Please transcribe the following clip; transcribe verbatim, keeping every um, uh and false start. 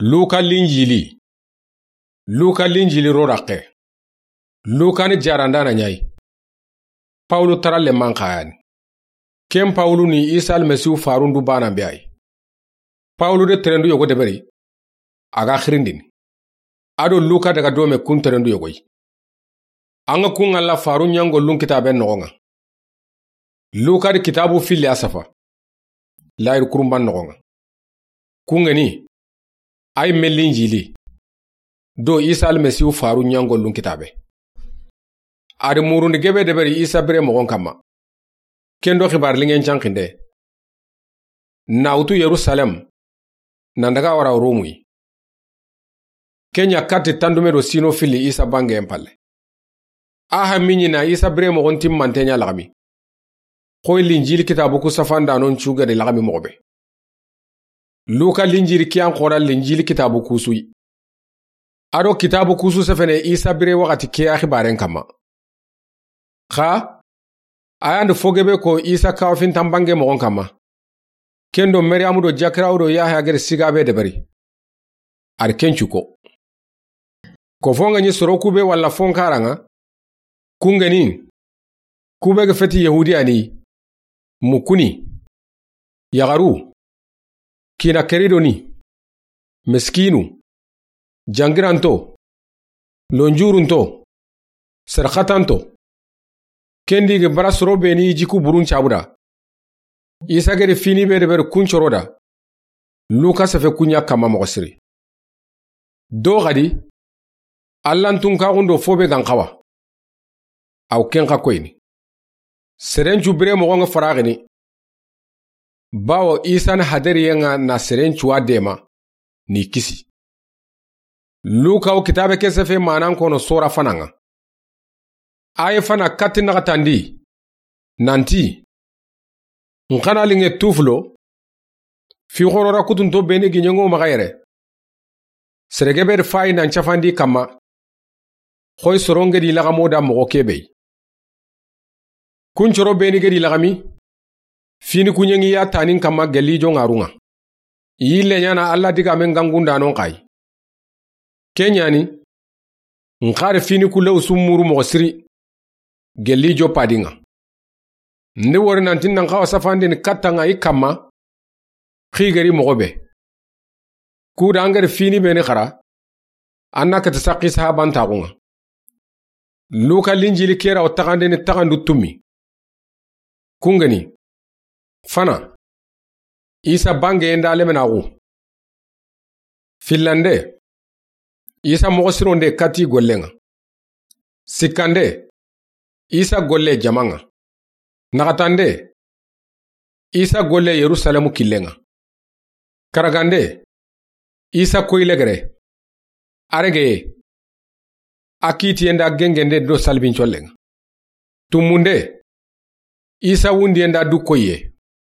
Luka Linjili. Luka Linjili ro raqe. Luka ni jarandaana ɲa yi. Pawulu taralle manxayani. Ken Pawulu ni Isa Almasihu faarun du baanan be a yi. Pawulu de terendu yogo deberi, a ga xirindini. A do Luka daga dome kun terendu yogo yi. An ga kun ŋalla faarun ɲangollun kitaaben noxon ŋa. Luka di kitaabu filli a safa. Layiru kurunban noxon ŋa. Kun ŋeni, a yi me Linjili do Isa Almasihu faarun ɲangollun kitaabe. A di murundi gebe deberi Isa bire moxon kanma. Ken do xibaari linŋen canxinde. Na wutu Yerusalem, nan daga wara Romu yi. Ken ɲa katti tandume do siino filli Isa bangen palle. A ha mi ɲi na Isa bire moxon timmante ɲa laxami. Xoyi Linjili kitaabu ku safandanon cu gedi laxami moxo be. Luka Linjili kiyan xora Linjili kitaabu kusu yi. A do kitaabu kusu sefene Isa bire waxati ke ya xibaaren kanma. Xa, a yan di fo gebe ko Isa kawafintan bange moxon kanma. Ken do Mariyamu do Jakirawu do Yahaya gedi siga be deberi. A di ken cu ko. Ko fo ŋa ɲi soro kube walla fo n karan ŋa. Kun ŋeni, kube ga feti Yahudiya ni, mukkuni, yaxaru, kiina keridoni, miskiinu, jangiranto, lonjurunto, serxatanto. Ken di ga bara soro be ni jiku burun cabuda. Isa gedi fini be deberi kun coro da. Luka sefe kun ɲa kanma moxo siri. Do xadi, Alla n tunkaxun do fo be gan xawa. Aw ken xa koyini. Serencu bire moxon ŋa faraxini. Bawo Isa ni hadariyen ŋa na serencu wa dema ni kisi. Luka wo kitaabe ke sefe manan kono sora fanan ŋa. A yi fana katti naxatandi. Nanti, n xana linŋe tufulo, fi xorora kutunto beni giɲengo maxa yere. Sere gebe di fayi nan cafandi kanma. Xoyi soron gedi laxamo da moxo kebe yi. Kun coro beni gedi laxami. Fini kuɲengi ya tanin kanma gelijo ŋarun ŋa. Yille ɲana Alla digaamen gangundanon xa yi. Ken ɲa ni, n xari fini kulew su muru moxo siri, gelijo padin ŋa. Ndi wori nanti nan xawa safandini kattan ŋa i kanma, xigeri moxo be. Kuda an gedi fini beni xara, an na kati saqi sahabantaxun ŋa. Luka Linjili kera wo taxandini taxandu tumi. Kun ŋeni, fana, Isa bangeyen da lemenaxu. Fillande, Isa moxo sironde kati gollen ŋa. Sikkande, Isa golle jaman ŋa. Naxatande, Isa golle Yerusalemu killen ŋa. Karagande, Isa koyi legere. A regeye, a kiitiyen da gengende do salibincollen ŋa. Tummunde, Isa wundiyen da du koyiye.